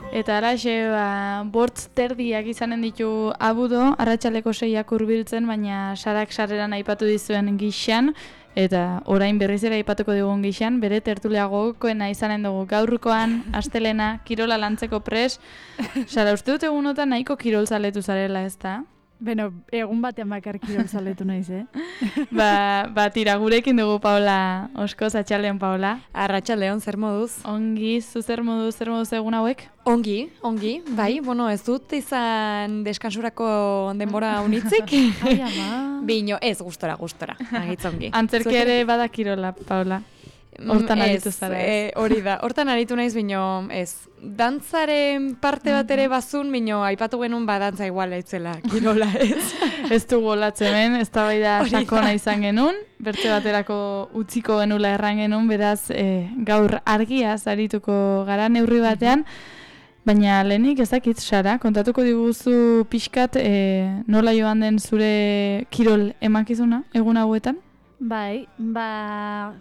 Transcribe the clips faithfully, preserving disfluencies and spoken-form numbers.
Eta alaxe, ba, bortz terdiak izanen ditu abudo, arratsaleko seiak hurbiltzen, baina sarak sarreran aipatu dizuen gixan, eta orain berriz ere aipatuko digun gixan, bere tertulia gogokoena izanen dugu gaurkoan, astelena, kirola lantzeko pres. Sara, uste dut egunotan nahiko kirol zaletu zarela, ez da? Beno, egun batean bakar kirol zaletu naiz, eh? ba, ba, tira, gurekin dugu Paola Oskoz, atxaldeon Paola. Arratsaldeon, zer moduz? Ongi, zu zer moduz, zer moduz egun hauek? Ongi, ongi, bai, bueno, ez dut izan deskansurako denbora unitzik. Ai, ama. Bino, ez, gustora, gustora, agitzongi. Antzerki ere badakirola, Paola. Hortan aritu zara, ez? Ez, hori da, hortan aritu naiz, bino, ez. Dantzaren parte bat ere bazun, bino, aipatu genuen badantza igual etzela, kirola, ez. Ez du golatzen, ben, ez da bai da sakona izan genuen, bertze baterako utziko genula erran genuen, beraz, eh, gaur argiaz arituko gara neurri batean, baina lehenik ezakit, Sara, kontatuko diguzu pixkat eh, nola joan den zure kirol emankizuna egun hauetan? Bai, ba,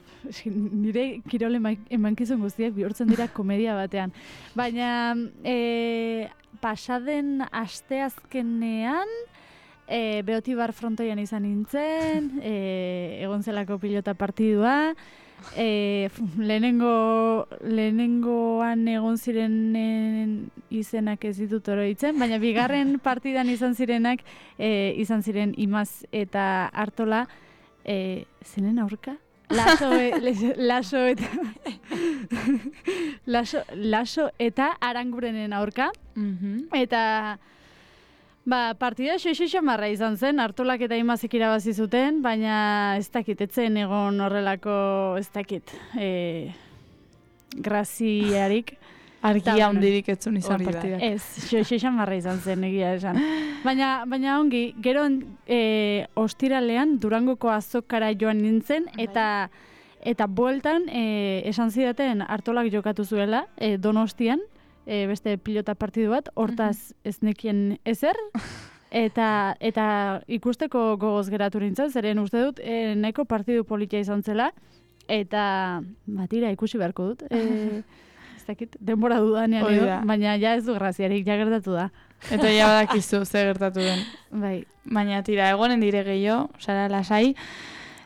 nire kirol emankizun guztiak bihurtzen dira komedia batean. Baina e, pasaden asteazkenean e, Beotibar frontoian izan nintzen, e, egon zelako pilota partidua, e, lehenengo, lehenengoan egon zirenen izenak ez ditut oroitzen, baina bigarren partidan izan zirenak, e, izan ziren Imaz eta Artola, E, zenen aurka? Laso, e, laso eta laso, laso eta Arangurenen aurka. Mm-hmm. Eta ba, partida xoixo marra izan zen, Artolak eta Imazik irabazi zuten, baina ez dakit, etzen egon horrelako, ez dakit, e, graziarik. Argia hundirik etzun izan partidak. Ez, xoixo marra izan zen, egia esan. Baina, baina ongi, gero e, ostiralean Durangoko azokara joan nintzen, eta eta bueltan e, esan zidaten Artolak jokatu zuela, e, Donostian, e, beste pilota partidu bat, hortaz ez nekien ezer, eta, eta ikusteko gogoz geratu nintzen, zeren uste dut, e, nahiko partidu politia izan zela, eta batira ikusi beharko dut. E, denbora dudanean edo, baina ja ez du graziarik, ja gertatu da. Eta ja badakizu ze gertatu den. Bai. Baina tira, egonen dire gehiago, Sara lasai.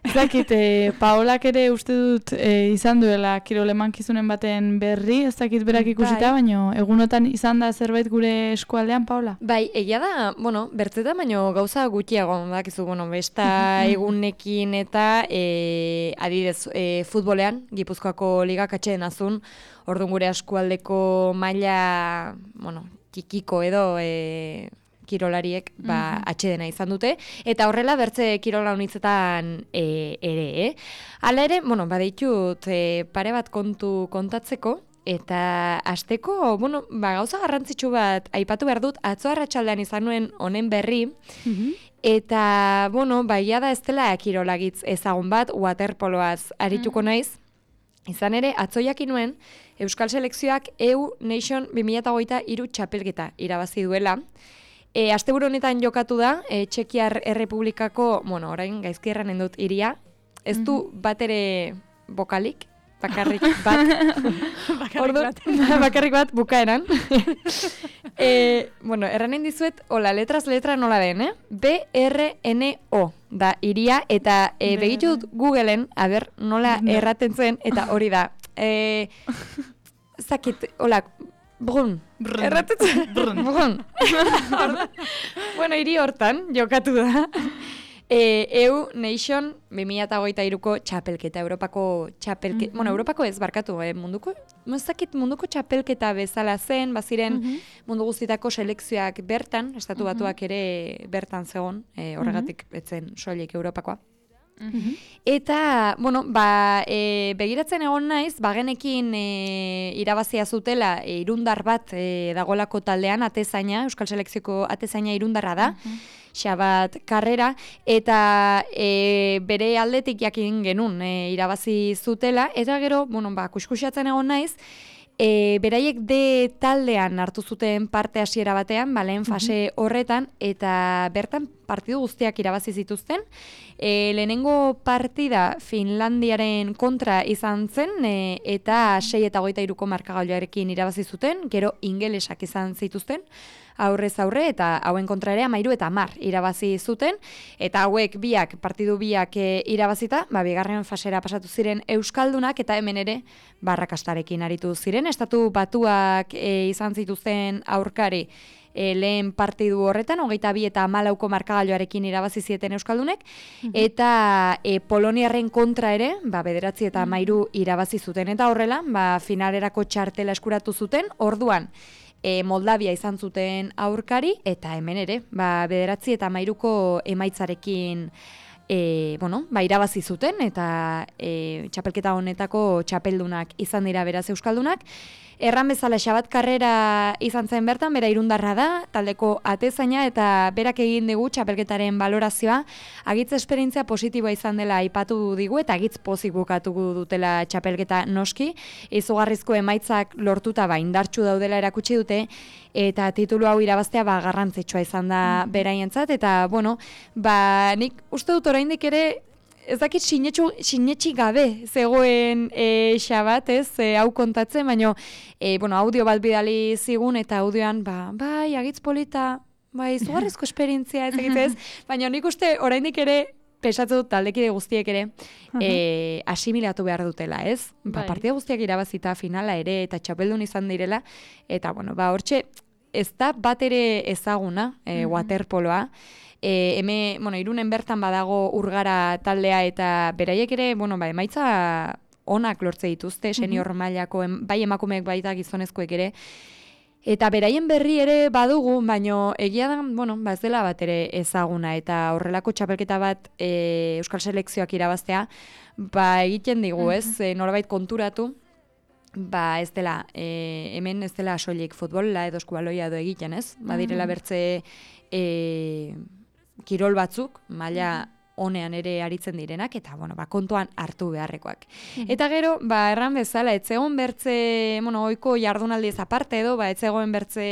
Ez dakit, e, Paolak ere uste dut e, izan duela kirol emankizunen baten berri, ez dakit berak ikusita, bai. Baina egunotan izan da zerbait gure eskualdean, Paola? Bai, egia da, bueno, bertzeta, baina gauza gutxiago, dakizu, bueno, besta egunekin eta e, adidez e, futbolean, Gipuzkoako ligak atxeden azun, orduan gure eskualdeko maila, bueno, txikiko edo e, kirolariek ba, mm-hmm. atxedena izan dute, eta horrela bertze kirola unitzetan e, ere, eh? Hala ere, bueno, baditut e, pare bat kontu kontatzeko, eta hasteko, bueno, ba, gauza garrantzitsu bat aipatu behar dut, atzo arratsaldean izan nuen honen berri, mm-hmm. eta, bueno, baia da ez dela kirolagitz ezagun bat, waterpoloaz arituko mm-hmm. naiz, izan ere, atzo jakin nuen, Euskal Selekzioak E U Nation bi mila hogeita hiru txapelketa irabazi duela. E, asteburu honetan jokatu da, e, Txekiar Errepublikako, bueno, orain gaizki erranen dut iria, ez du mm-hmm. bat ere bokalik, bakarrik bat. bakarrik Ordu, bat. bakarrik bat bukaeran. e, bueno, erranen dizuet, hola, letras letra nola den, eh? B R N O da iria, eta e, begitu dut Googleen, a ber, nola erraten zuen, eta hori da. E, zakit, hola, brun. Erratetzen. Brun. Brun. Bueno, hiri hortan, jokatu da. E, E U Nation bi mila hogeita hiruko txapelketa, Europako txapelketa, mm-hmm. bueno, Europako ez barkatu, eh, munduko, mozakit munduko txapelketa bezala zen, baziren mm-hmm. mundu guztietako selekzioak bertan, estatu batuak ere bertan zegoen, e, horregatik mm-hmm. etzen soilik Europakoa. Mm-hmm. Eta, bueno, ba, e, begiratzen egon naiz, bagenekin e, irabazia zutela e, irundar bat e, dagolako taldean, atezaina, Euskal Selekzioko atezaina irundarra da, mm-hmm. Xabat Karrera, eta e, bere aldetik jakin genuen e, irabazi zutela, eta gero, bueno, ba, kuskusiatzen egon naiz, E, beraiek de taldean hartu zuten parte hasiera batean, ba, lehen fase horretan, eta bertan partidu guztiak irabazi zituzten. E, lehenengo partida Finlandiaren kontra izan zen, e, eta sei eta hogeita hiruko markagailuarekin irabazi zuten, gero ingelesak izan zituzten, aurrez aurre, eta hauen kontra ere hamairu eta hamar irabazi zuten, eta hauek biak, partidu biak e, irabazita, ba, bigarren fasera pasatu ziren euskaldunak, eta hemen ere barrakastarekin aritu ziren. Estatu batuak e, izan zituzten aurkari e, lehen partidu horretan, hogeita bi eta hamalauko markagailuarekin irabazi zieten euskaldunek, eta e, Poloniarren kontra ere, ba, bederatzi eta hamairu irabazi zuten, eta horrela, ba, finalerako txartela eskuratu zuten, orduan, E, Moldavia izan zuten aurkari, eta hemen ere, ba, bederatzi eta hamairuko emaitzarekin e, bueno, ba, irabazi zuten, eta e, txapelketa honetako txapeldunak izan dira beraz euskaldunak. Erran bezala Xabat Karrera izan zen bertan, bera irundarra da, taldeko atezaina, eta berak egin digu txapelketaren balorazioa, agitz esperientzia positiboa izan dela aipatu digu, eta agitz pozik bukatuko dutela txapelketa noski, izugarrizko emaitzak lortuta ba, indartsu daudela erakutsi dute, eta titulu hau irabaztea ba, garrantzitsua izan da beraientzat, eta bueno, ba, nik uste dut oraindik ere, ez dakit sinetxi gabe zegoen e, Xabat, ez, e, hau kontatzen, baina e, bueno, audio bat bidali zigun, eta audioan, ba, bai, agitz polita, bai, izugarrizko esperientzia, ez egitez, baina nik uste oraindik ere, pesatu dut taldekide guztiek ere, e, asimilatu behar dutela, ez? Ba, partida guztiak irabazita finala ere, eta txapeldun izan direla, eta, bueno, ba, hortxe, ez da bat ere ezaguna, e, waterpoloa, E, eme, bueno, Irunen bertan badago Urgara taldea, eta beraiek ere, bueno, ba, emaitza onak lortze dituzte, senior mailako, em, bai emakumeek baita gizonezkoek ere, eta beraien berri ere badugu, baino egia da, bueno, ba, ez dela bat ere ezaguna, eta horrelako txapelketa bat e, Euskal Selekzioak irabaztea, ba, egiten digu, ez, e, norbait konturatu, ba, ez dela, e, hemen ez dela soilik futbola edo eskubaloia edo egiten, ez? Badirela bertze e, kirol batzuk, maila honean ere aritzen direnak, eta bueno, ba, kontuan hartu beharrekoak. Eta gero, ba, erran bezala, etzegoen bertze, bueno, oiko jardunaldiez aparte edo, ba, etzegoen bertze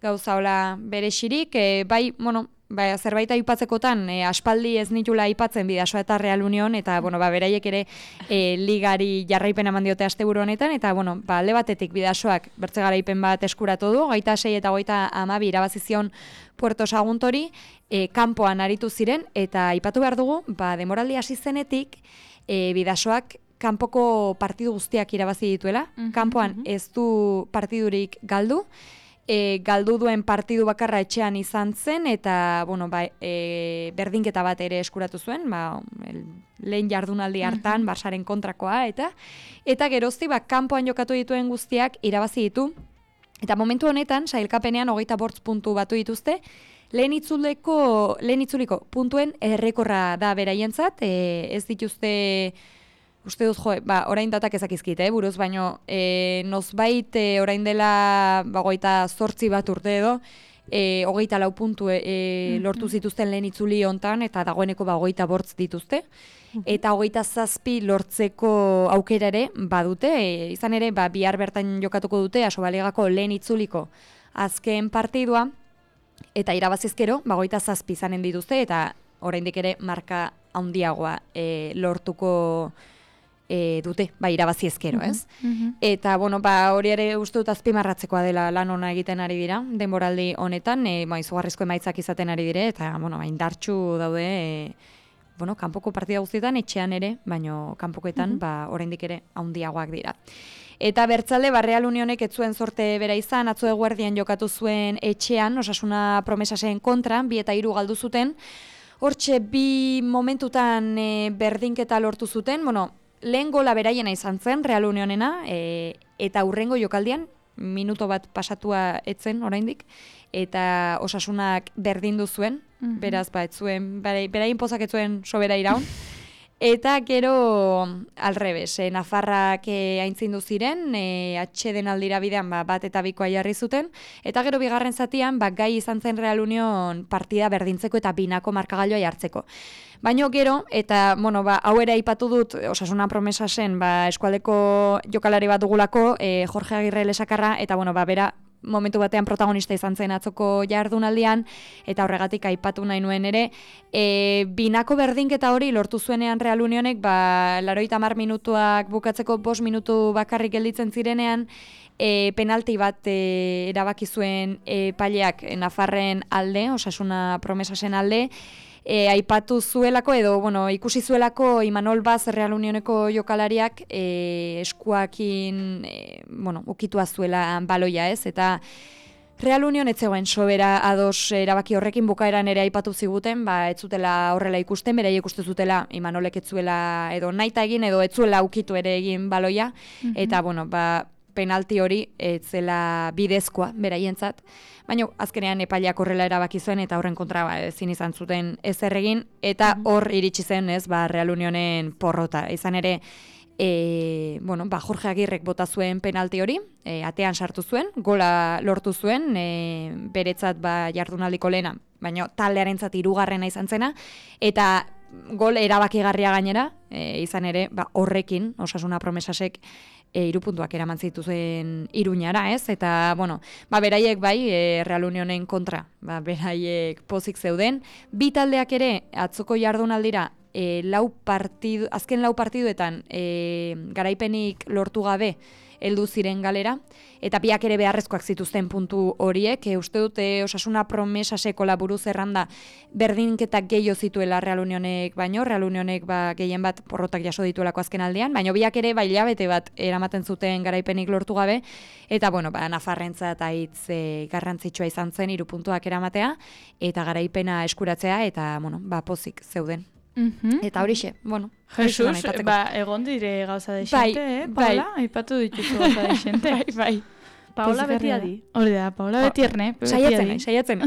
gauza hola bere xirik, e, bai, bueno, ba, zerbait aipatzekotan, e, aspaldi ez nitula aipatzen Bidasoa eta Real Union, eta, bueno, ba, beraiek ere e, ligari jarraipen eman diote asteburu honetan, eta, bueno, ba, alde batetik Bidasoak bertze garaipen bat eskuratu du, gaita sei eta goita amabi irabazizion Puerto Saguntori, e, kanpoan aritu ziren, eta aipatu behar dugu, ba, demoraldi hasi zenetik, e, Bidasoak kanpoko partidu guztiak irabazi dituela, kanpoan ez du partidurik galdu, E, galdu duen partidu bakarra etxean izan zen, eta bueno, ba, e, berdinketa bat ere eskuratu zuen, ba, el, lehen jardunaldi hartan, uh-huh. Barsaren kontrakoa, eta eta gerozti, ba, kanpoan jokatu dituen guztiak irabazi ditu, eta momentu honetan, sailkapenean hogeita bortz puntu batu dituzte, lehen itzuleko, lehen itzuliko puntuen errekorra da beraientzat, e, ez dituzte... Uste dut, jo, ba, orain datak ezakizkit, eh, buruz, baino, e, nozbait, e, orain dela, ba, goita zortzi bat urte edo, e, hogeita lau puntu e, lortu zituzten lehen itzuli hontan, eta dagoeneko, ba, hogeita bortz dituzte, eta hogeita zazpi lortzeko aukera ere badute, e, izan ere, ba, bihar bertan jokatuko dute, Asobalegako lehen itzuliko azken partidua, eta irabazizkero, ba, hogeita zazpi izanen dituzte, eta oraindik ere marka handiagoa e, lortuko E, dute, ba, irabazi ezkero, ez? Uh-huh. Eta, bueno, ba, hori ere uste dut azpimarratzekoa dela lan ona egiten ari dira, denboraldi honetan, e, ba, izugarrizko emaitzak izaten ari dire, eta, bueno, ba, indartsu daude, e, bueno, kanpoko partida guztietan, etxean ere, baino kanpokoetan, uh-huh. ba, oraindik ere handiagoak dira. Eta bertzalde, ba, Real Unionek ez zuen sorte bera izan, atzo eguerdian jokatu zuen etxean, Osasuna Promesaseen kontra, bi eta hiru galdu zuten, hortxe bi momentutan e, berdinketa lortu zuten, bueno, lehen gola beraiena izan zen, Real Unionena, e, eta hurrengo jokaldian, minuto bat pasatua etzen oraindik, eta Osasunak berdindu zuen, uh-huh. beraz, ba, etzuen, beraien pozak etzuen sobera iraun, eta gero alrebes, e, Nafarrak e, aintzindu ziren, e, atxeden aldira bidean ba, bat eta bikoa jarri zuten, eta gero bigarren zatian, ba, gai izan zen Real Union partida berdintzeko eta binako markagailoa jartzeko. Baino gero, eta, bueno, ba, hau ere aipatu dut, Osasuna Promesasen, ba, eskualdeko jokalari bat dugulako, e, Jorge Agirre lesakarra, eta, bueno, ba, bera, momentu batean protagonista izan zen atzoko jardunaldian, eta horregatik aipatu nahi nuen ere, e, binako berdinketa hori lortu zuenean Real Unionek, ba, larogeita hamar minutuak bukatzeko bost minutu bakarrik gelditzen zirenean, E, penalti bat e, erabaki zuen e, paileak Nafarren alde, Osasuna Promesasen alde, e, aipatu zuelako edo bueno, ikusi zuelako Imanol Baz Real Unioneko jokalariak e, eskuakin e, bueno, ukitua zuela baloia, ez? Eta Real Union ez zegoen sobera ados erabaki horrekin, bukaeran ere aipatu ziguten, ba ez zutela horrela ikusten, beraiek uste zutela Imanolek ez zuela edo naita egin edo ez zuela ukitu ere egin baloia, mm-hmm. eta bueno, ba penalti hori ez zela bidezkoa beraientzat, baina azkenean epaileak horrela erabaki zuen eta horren kontra ba, ezin izan zuten ezer egin, eta hor iritsi zen ez ba, Real Unionen porrota. Izan ere, e, bueno, ba, Jorge Agirrek bota zuen penalti hori, e, atean sartu zuen, gola lortu zuen, e, beretzat ba, jardunaldiko lehena, baina taldearentzat hirugarrena izan zena, eta gol erabakigarria gainera, e, izan ere, ba, horrekin, Osasuna Promesasek, E, iru puntuak eraman zituzen Iruñara, ez? Eta, bueno, ba, beraiek bai, e, Real Unionen kontra, ba, beraiek pozik zeuden. Bi taldeak ere, atzoko jardunaldira, e, lau partidu, azken lau partiduetan e, garaipenik lortu gabe heldu ziren galera, eta biak ere beharrezkoak zituzten puntu horiek, e, uste dute Osasuna Promesaseko laburu zerranda berdinketak gehiago zituela Real Unionek baino, Real Unionek ba, gehien bat porrotak jaso dituelako azken aldean, baina biak ere bai hilabete bat eramaten zuten garaipenik lortu gabe, eta bueno, ba, Nafarrentzat aitz e, garrantzitsua izan zen hiru puntuak eramatea, eta garaipena eskuratzea, eta bueno, ba, pozik zeuden. Mm-hmm. Eta horixe, bueno. Jesus, ba, egon dire gauza de xente, bai, eh, Paula? Bai. Aipatu dituzu gauza de xente. bai, bai. Paola beti adi. Hori da, Paola beti erne. Saiatzen nahi, saiatzen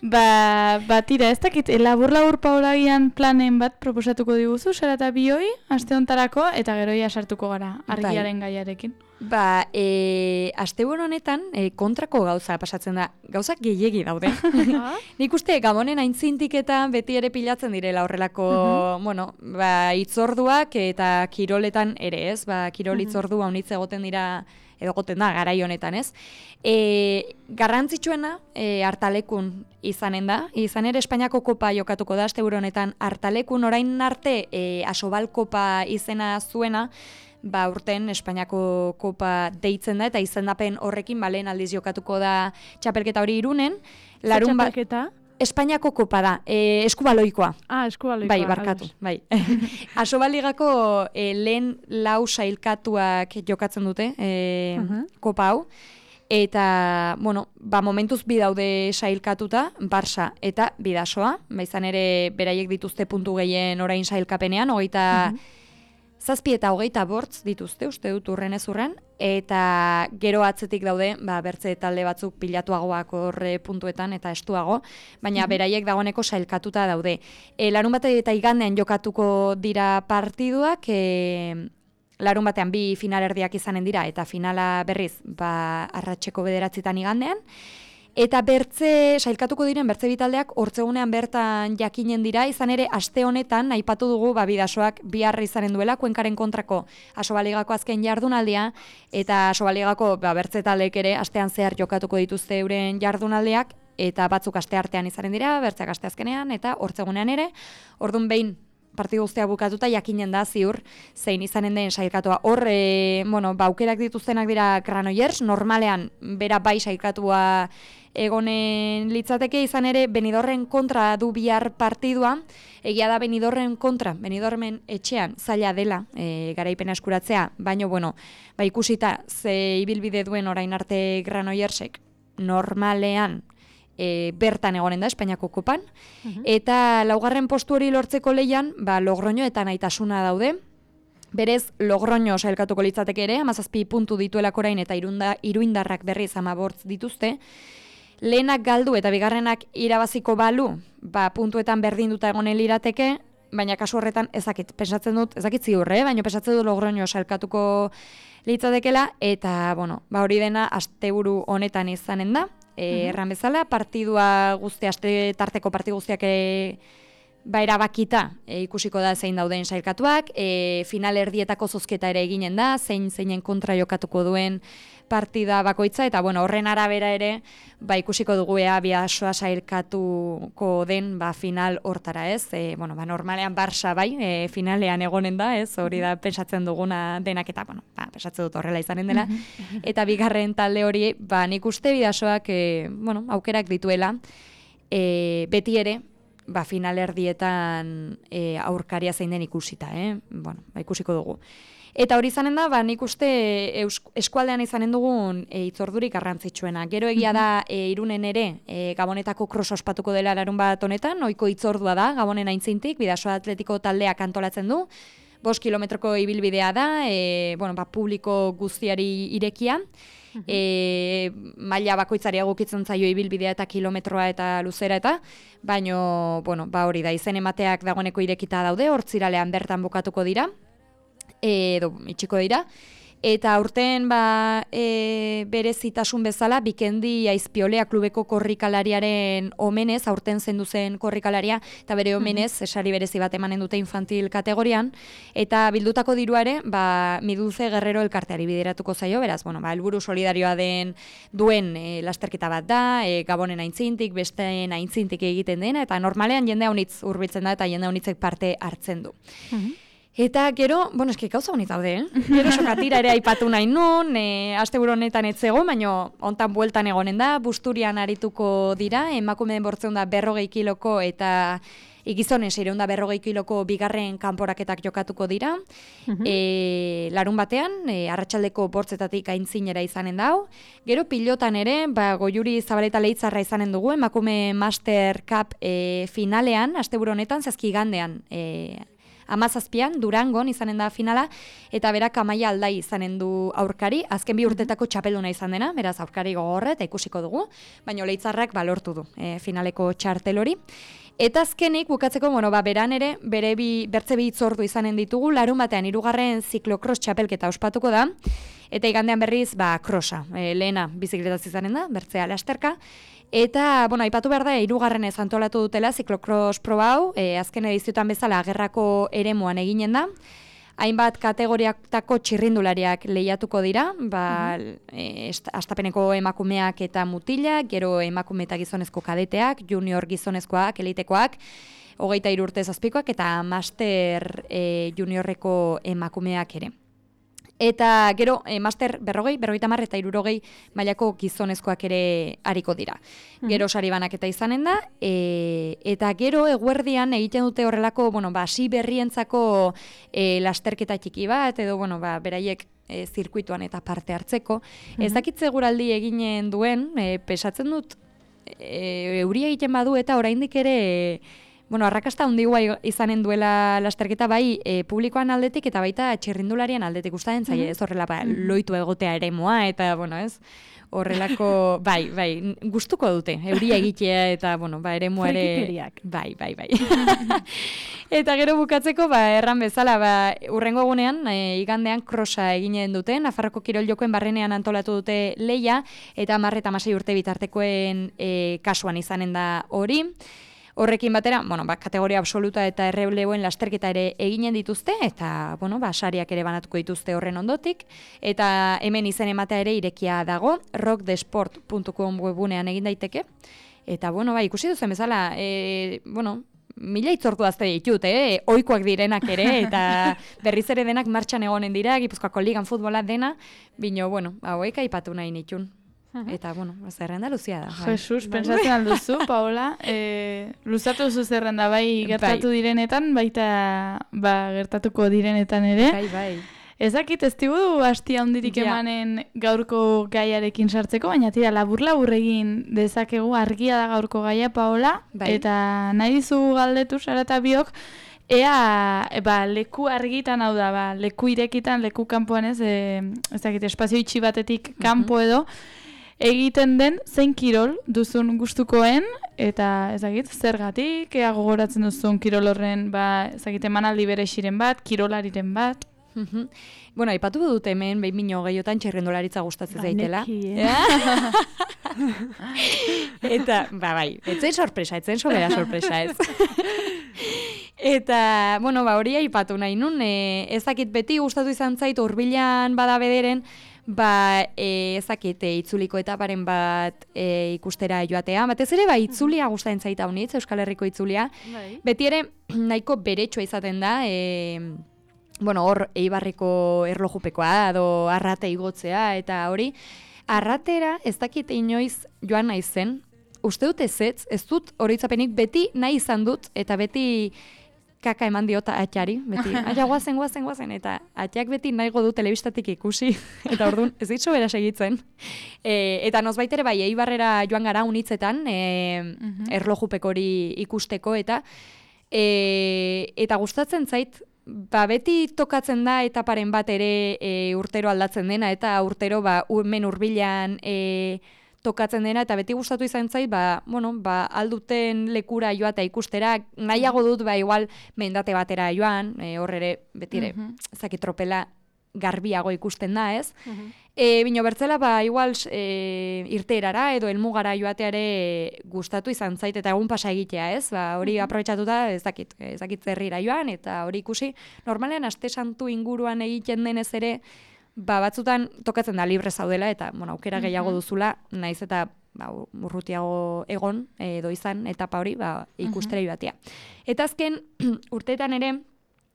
Ba, ba, tira, ez dakit, labur-labur Paolagian planen bat proposatuko diguzu, zara eta bioi, aste hontarako, eta geroia sartuko gara, argiaren bai. Gaiarekin. Ba, e, asteburu honetan e, kontrako gauza pasatzen da. Gauzak gehiegi daude. Nik uste Gabonen aintzintiketan beti ere pilatzen direla horrelako, uh-huh. bueno, ba, itzorduak eta kiroletan ere, ez? Ba, kirol uh-huh. itzordua unitz egoten dira, edo goten da, garai honetan, ez? E, garrantzitsuena e, hartalekun izanen da. Izan ere Espainiako kopa jokatuko da asteburu honetan hartalekun, orain arte e, Asobal kopa izena zuena, ba urten Espainiako kopa deitzen da, eta izendapen horrekin ba, lehen aldiz jokatuko da txapelketa hori Irunen. Larun ba... txapelketa? Espainiako kopa da, e, eskubaloikoa. Ah, eskubaloikoa. Bai, barkatu, bai. Asobaligako e, lehen lau sailkatuak jokatzen dute e, uh-huh. kopa hau. Eta, bueno, ba, momentuz bi daude sailkatuta, Barça eta Bidasoa. Ba, izan ere, beraiek dituzte puntu gehien orain sailkapenean, hogeita... Uh-huh. Zazpi eta hogeita bortz dituzte, uste dut urren ez urren, eta gero atzetik daude, ba, bertze talde batzuk pilatuagoak horre puntuetan eta estuago, baina mm-hmm. beraiek dagoeneko sailkatuta daude. E, larun bate eta igandean jokatuko dira partiduak, e, larun batean bi finalerdiak izanen dira, eta finala berriz, ba, arratseko bederatzitan igandean, eta bertze, sailkatuko diren bertze bitaldeak hortzegunean bertan jakinen dira, izan ere aste honetan aipatu dugu ba, Bidasoak bihar izanen duela Kuenkaren kontrako Asobaligako azken jardunaldia, eta Asobaligako ba, bertze taldeek ere astean zehar jokatuko dituzte euren jardunaldiak, eta batzuk aste artean izanen dira, bertzeak aste azkenean, eta hortzegunean ere, ordun behin partidu guztia bukatuta jakinen da ziur zein izanen den sailkatua. Hor, e, bueno, ba, aukerak dituztenak dira Granollers, normalean bera bai sailkatua egonen litzateke, izan ere Benidorren kontra du bihar partidua, egia da Benidorren kontra, Benidormen etxean zaila dela e, garaipena eskuratzea, baina bueno, ba, ikusita ze ibilbide duen orain arte Granollersek normalean E, bertan egonen da Espainiako kopan, uh-huh. eta laugarren postu hori lortzeko leian, ba, Logroño eta Naitasuna daude. Berez, Logroño sailkatuko litzateke ere, hamazazpi puntu dituelako orain eta irunda, iruindarrak berriz hamabortz dituzte. Lehenak galdu eta bigarrenak irabaziko balu, ba, puntuetan berdinduta egonen lirateke, baina kasu horretan ezakit, pensatzen dut, ezakit ziurre, eh? baina pensatzen dut Logroño sailkatuko litzatekela, eta, bueno, ba, hori dena asteburu honetan izanen da. E, erran bezala, partidua guzti, aste tarteko partidu guztiak ere ba erabakita e, ikusiko da zein dauden sailkatuak, e, final erdietako zozketa ere eginen da, zein zeinen kontra jokatuko duen partida bakoitza, eta bueno, horren arabera ere, ba ikusiko dugu ea Bidasoa sailkatuko den ba final hortara, ez? E, bueno, ba normalean Barça bai, e, finalean egonen da, ez? Hori da pentsatzen duguna denak eta bueno, ba pentsatzen dut horrela izanen dela. Eta bigarren talde hori, ba nik uste Bidasoak e, bueno, aukerak dituela, e, beti ere ba finalerdietan e, aurkaria zein den ikusita, eh? Bueno, ba ikusiko dugu. Eta hori izanen da, ba, nik uste eskualdean izanen dugun e, itzordurik garrantzitsuena. Gero egia da e, Irunen ere e, Gabonetako krosa ospatuko dela larun bat honetan, ohiko itzordua da Gabonen aintzintik, Bidasoa Atletiko taldeak antolatzen du, bost kilometroko ibilbidea da, e, bueno, ba, publiko guztiari irekia, e, maila bakoitzari egokitzen zaio ibilbidea eta kilometroa eta luzera eta, baino, bueno, ba, hori da, izen emateak dagoeneko irekita daude, hortziralean bertan bukatuko dira, edo itxiko dira, eta aurten ba, e, berezitasun bezala, Bikendi Aizpiolea klubeko korrikalariaren omenez, aurten zendu zen korrikalaria, eta bere omenez, esari berezi bat emanen dute infantil kategorian, eta bildutako diruare, ba, Miduze Guerrero elkarteari bideratuko zaio, beraz, bueno, ba, helburu solidarioa den duen e, lasterketa bat da, e, Gabonen aintzintik, besteen aintzintik egiten dena, eta normalean jende haunitz hurbiltzen da, eta jende haunitzek parte hartzen du. Eta gero, bueno, eski gauza honit daude, eh? Gero sokatira ere aipatu nahi nun, e, asteburu honetan ez zego, baina hontan bueltan egonen da, Busturian arituko dira, emakumeen bortzeun da berrogei kiloko eta gizonen seireun da berrogei kiloko bigarren kanporaketak jokatuko dira. e, larun batean, e, arratsaldeko bortzetatik aintzinera izanen dau. Gero pilotan ere, ba, Goiuri Zabaleta Leitzarra izanen dugu, emakume Master Cup e, finalean, asteburu honetan, zazkigandean, e, Amazazpian, Durangon izanen da finala, eta berak Amaia Aldai izanen du aurkari, azken bi urtetako txapelduna izan dena, beraz aurkari gogorra eta ikusiko dugu, baina Leitzarrak balortu du e, finaleko txartel hori. Eta azkenik, bukatzeko, bueno, ba, beran ere, bere bi, bertze bi itzordu izanen ditugu, larun batean hirugarren ziklokros txapelketa ospatuko da, eta igandean berriz, ba, krosa, e, lehena bizikletaz izanen da, bertzea lasterka. Eta, bueno, aipatu behar da, hirugarrenez antolatu dutela ziklokros proba hau, e, azken ediziotan bezala gerrako eremuan eginen da. Hainbat kategoriatako txirrindulariak lehiatuko dira, ba, e, astapeneko emakumeak eta mutilak, gero emakume eta gizonezko kadeteak, junior gizonezkoak, elitekoak, hogeita hiru urte zazpikoak eta master e, juniorreko emakumeak ere. Eta gero, e, master berrogei, berrogeita hamar eta hirurogei mailako gizonezkoak ere hariko dira. Gero sari banaketa izanen da, e, eta gero eguerdian egiten dute horrelako, bueno, ba, hasi berrientzako e, lasterketa txiki bat, edo, bueno, ba, beraiek e, zirkuituan eta parte hartzeko. Ez dakit seguraldi eginen duen, e, pesatzen dut, e, euria egiten badu eta oraindik ere... E, Bueno, arrakasta handigua izanen duela lasterketa bai e, publikoan aldetik eta baita txirrindularian aldetik ustaden zaie, ez horrela ba, loitu egotea eremoa eta, bueno, ez, horrelako, bai, bai, gustuko dute, euria egitea eta, bueno, ba, eremua ere... Frikikeriak. Bai, bai, bai. Eta gero bukatzeko, ba, erran bezala, ba, urrengo egunean, e, igandean krosa eginen dute, Nafarroko Kirol Jokoen barrenean antolatu dute leia, eta hamar eta hamasei urte bitartekoen e, kasuan izanen da hori. Horrekin batera, bueno, ba, kategoria absoluta eta errebleoen lasterketa ere eginen dituzte, eta, bueno, ba, sariak ere banatuko dituzte horren ondotik, eta hemen izen ematea ere irekia dago, rock the sport puntu com webunean egin daiteke, eta, bueno, ba, ikusi duzen bezala, e, bueno, mila itzortu azte ditut, eh? Oikoak direnak ere, eta berriz ere denak martxan egonen dira, Gipuzkoako ligan futbola dena, bino, bueno, hauek aipatu nahi nitun. Eta, bueno, zerrenda luzia da. Bai. Jesus, pentsatzen alduzu, Paola, e, luzatu zu zerrenda bai gertatu bai. direnetan, baita ba, gertatuko direnetan ere. Bai, bai. Ezakit, ez digu hastia hundirik ja. emanen gaurko gaiarekin sartzeko, baina tira, labur-labur egin dezakegu, argia da gaurko gaia, Paola, bai. Eta nahi dizu galdetu, Sara eta biok, ea, ba, leku argitan hau da, ba, leku irekitan, leku kanpoan ez, e, ezakit, espazio itxi batetik kanpo edo, egiten den zein kirol duzun gustukoen eta ezagit zergatik ea gogoratzen duzun kirol horren ba ezagite emanaldi berexiren bat, kirolariren bat. Bueno, aipatu dut hemen behin bino gehiotan txirrindularitza gustatzen zaitela. Eh? Eta, ba bai, etzen sorpresa, etzen sobera sorpresa ez. Eta, bueno, ba, hori aipatu nahi nun, e, ezakit beti gustatu izan zait hurbilan bada bederen, ba, e, ezakit e, itzuliko etaparen bat e, ikustera joatea. Batez ere, ba, itzulia gustatzen zait haunitz, Euskal Herriko itzulia. Bai. Beti ere, nahiko beretsua izaten da, e, bueno, hor, Eibarreko erlojupekoa, edo arrate igotzea, eta hori, arratera ez dakit inoiz joan naizen, uste dut ezetz, ez dut horitzapenik beti nahi izan dut, eta beti kaka eman diota atxari, beti, aia guazen, guazen, guazen, eta atxak beti nahigo du telebistatik ikusi, eta orduan ez ditzo bera segitzen. E, eta nozbait ere bai, Eibarrera joan gara unitzetan, e, uh-huh. erlojupek hori ikusteko, eta e, eta gustatzen zait, ba, beti tokatzen da etaparen bat ere e, urtero aldatzen dena, eta urtero ba, hemen hurbilan e, tokatzen dena, eta beti gustatu izan zait, ba, bueno, ba, alduten lekura joata ikustera, nahiago dut, ba, igual, mendate batera joan, e, hor ere, beti ere, uh-huh. zaki tropela garbiago ikusten da, ez? Uh-huh. E, bino bertzela, ba, igual, e, irteerara edo elmugara joateare gustatu izan zait, eta egun pasa egitea, ez? Ba, hori uh-huh. aprobetxatuta, ez dakit, ez dakit zerrira joan, eta hori ikusi, normalean, aste santu inguruan egiten denez ere, ba, batzutan tokatzen da libre zaudela, eta, bueno, aukera gehiago duzula, naiz eta ba, urrutiago egon, edo izan, etapa hori, ba, ikustera joatea. Eta azken, urteetan ere,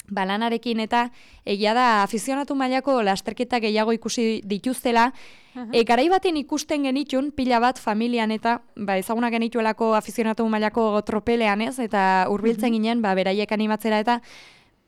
balanarekin eta egia da afizionatu mailako lasterketa gehiago ikusi dituztela. Uh-huh. E, garai baten ikusten genitun, pila bat familian eta ba, ezaguna genituelako afizionatu mailako tropelean, ez? Eta hurbiltzen uh-huh. ginen, ba, beraiek animatzera eta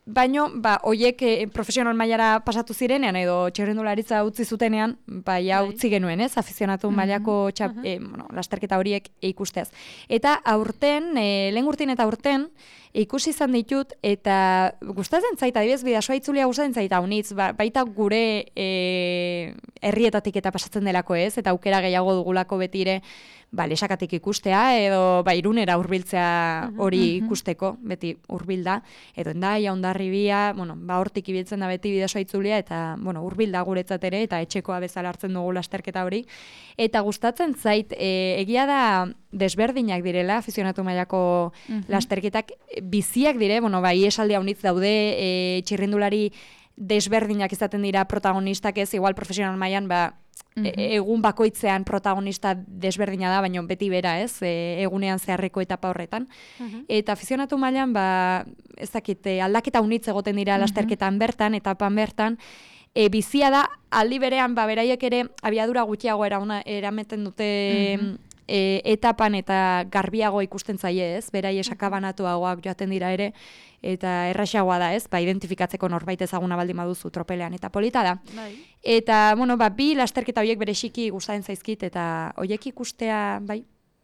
baino, ba, oiek e, profesional mailara pasatu zirenean edo txirrendularitza utzi zutenean, ba, ja utzi genuen, ez? Afizionatu uh-huh. mailako txap, uh-huh. e, bueno, lasterketa horiek ikustez. Eta aurten, e, lehen urtin eta aurten, ikusi izan ditut, eta gustatzen zait, adibidez, bidasoa itzulia gustatzen zait haunitz, ba, baita gure e, herrietatik eta pasatzen delako, ez? Eta aukera gehiago dugulako betire, ba, lesakatik ikustea, edo ba, Irunera hurbiltzea hori ikusteko, beti hurbilda, edo Endaia, Hondarribia, bueno, ba, hortik ibiltzen da beti bidasoa itzulia, eta, bueno, hurbilda guretzat ere, eta etxekoa bezala hartzen dugu lasterketa hori. Eta gustatzen zait, e, egia da desberdinak direla, afizionatu mailako uh-huh. lasterketak, biziak dire, bueno, bai, esaldi haunitz daude, e, txirrindulari desberdinak izaten dira protagonistak ez, igual profesional mailan, ba, uh-huh. e, egun bakoitzean protagonista desberdina da, baina beti bera, ez, e, egunean zeharreko etapa horretan. Uh-huh. Eta afizionatu mailan, ba, ez dakit, aldaketa haunitz egoten dira uh-huh. lasterketan bertan, etapan bertan, e, bizia da, aldi berean, ba, beraiek ere, abiadura gutxiago erauna, erameten dute, uh-huh. E, etapan eta garbiago ikusten zaie, ez? Berai esakabanatuagoak joaten dira ere, eta erraxagoa da, ez? Ba, identifikatzeko norbait ezaguna baldin baduzu tropelean, eta polita da. Bai. Eta, bueno, ba, bi lasterketa horiek bereziki gustatzen zaizkit, eta horiek ikustea, bai,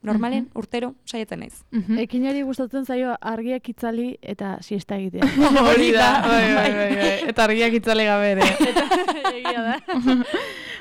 normalen, uh-huh. urtero, saietzen naiz. Uh-huh. Ekinari gustatzen zaio argiak itzali eta siesta egitea. Hori da, bai, bai, bai, bai. Eta argiak itzali gabe ere. Egia da.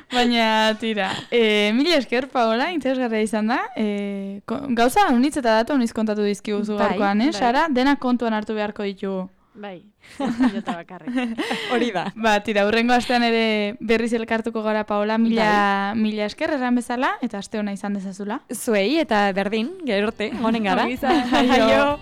Baina, tira, e, mila esker, Paola, interesgarria izan da. E, gauza, unitz eta datu uniz kontatu dizkiguzu bai, gaurkoan, eh? Bai. Sara, denak kontuan hartu beharko ditugu. Bai, jota bakarrik. Hori da. Ba, tira, urrengo astean ere berriz elkartuko gara, Paola, mila, bai. mila esker erran bezala, eta aste hona izan dezazula. Zuei, eta berdin, gerorte, honen gara. Aio.